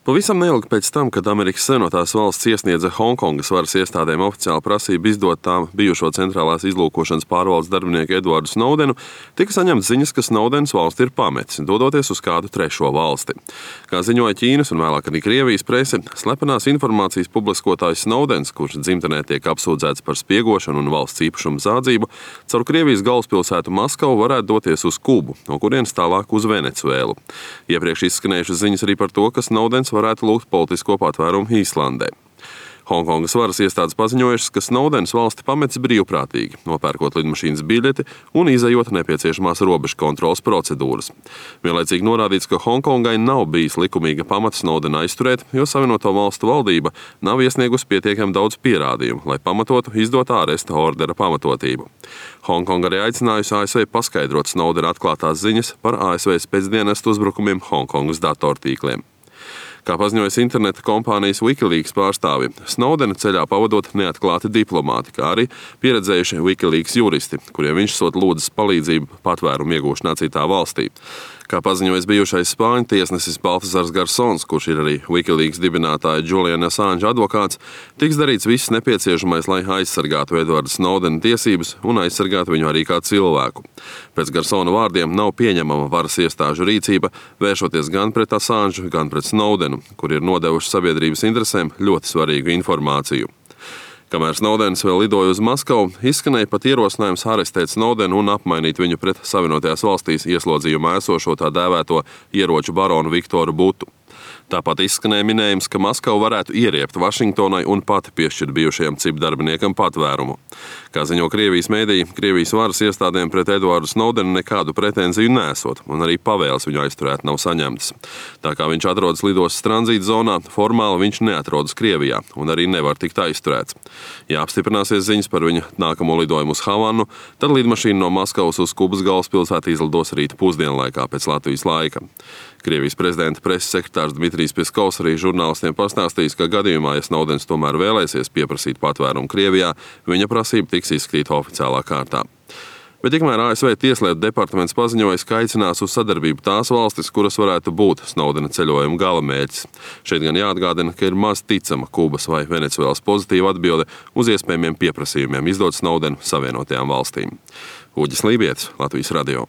Pavisam neilgi pēc tam, kad Amerikas Savienotās valsts iesniedza Hongkongas varas iestādēm oficiāli prasību izdot tām bijušo centrālās izlūkošanas pārvaldes darbinieku Edvardu Snowdenu, tika saņemts ziņas, ka Snowdens valsti ir pametis, dodoties uz kādu trešo valsti. Kā ziņoja Ķīnas un vēlāk arī Krievijas prese, slepenās informācijas publiskotājs Snowdens, kurš dzimtenē tiek apsūdzēts par spiegošanu un valsts īpašumu zādzību, caur Krievijas galvaspilsētu Maskavu varētu doties uz Kubu, no kurienes tālāk uz Venecuēlu. Iepriekš izskanējušas ziņas arī par to, ka Snowdens varētu lūgt politisko patvērumu Īslandē. Hongkongas varas iestādes paziņojušas, ka Snowdens valsti pametis brīvprātīgi, nopērkot lidmašīnas biļeti un izejot nepieciešamās robežu kontroles procedūras. Vienlaicīgi norādīts, ka Hongkongai nav bijis likumīga pamata Snowdenu aizturēt, jo Savienoto valstu valdība nav iesniegusi pietiekami daudz pierādījumu, lai pamatotu izdotā āresta ordera pamatotību. Hongkonga arī aicinājusi ASV paskaidrot Snowdena atklātās ziņas par ASV spēcdienestu uzbrukumiem Hongkongas datortīkliem. Kā paziņojas interneta kompānijas Wikileaks pārstāvi, Snowdena ceļā pavadot neatklāti diplomāti, kā arī pieredzējuši Wikileaks juristi, kuriem viņš sot lūdzas palīdzību patvērumu iegūšanā citā valstī. Kā paziņojas bijušais spāņu tiesnesis Baltasars Garsons, kurš ir arī Wikileaks dibinātāja Juliana Assange advokāts, tiks darīts viss nepieciešamais, lai aizsargātu Edvarda Snowdena tiesības un aizsargātu viņu arī kā cilvēku. Pēc Garsona vārdiem nav pieņemama varas iestāžu rīcība, vēršoties gan pret Assange, gan pret Snowdenu, kur ir nodevuši sabiedrības interesēm ļoti svarīgu informāciju. Kamēr Snowdens vēl lidoja uz Maskavu, izskanēja pat ierosinājums arestēt Snowdenu un apmainīt viņu pret Savienotajās valstīs ieslodzījumā esošo tā dēvēto ieroču baronu Viktoru Butu. Tāpat izskanēja minējums, ka Maskava varētu ieriept Vašingtonai un pati piešķirt bijušajam CIP darbiniekam patvērumu. Kā ziņo Krievijas mēdīji, Krievijas varas iestādēm pret Edvardu Snowdenu nekādu pretenziju nesot, un arī pavēles viņu aizturēt nav saņemtas. Tā kā viņš atrodas lidostas tranzīta zonā, formāli viņš neatrodas Krievijā un arī nevar tikt aizturēts. Ja apstiprināsies ziņas par viņa nākamo lidojumu uz Havanu, tad lidmašīna no Maskavas uz Kubas galvaspilsētu izlidos rīta pusdienlaikā pēc Latvijas laika. Krievijas prezidenta preses sekretārs Dmitrijs Peskovs arī žurnālistiem pastāstījis, ka gadījumā, ja Snowdens tomēr vēlēsies pieprasīt patvērumu Krievijā, viņa prasība tiks izskatīta oficiālā kārtā. Bet tikmēr ASV Tieslietu departaments paziņojas, ka aicinās uz sadarbību tās valstis, kuras varētu būt Snowdena ceļojuma galamērķis. Šeit gan jāatgādina, ka ir maz ticama Kubas vai Venecuēlas pozitīva atbilde uz iespējamiem pieprasījumiem izdot Snowdenu Savienotajām valstīm. Uģis Lībietis, Latvijas radio.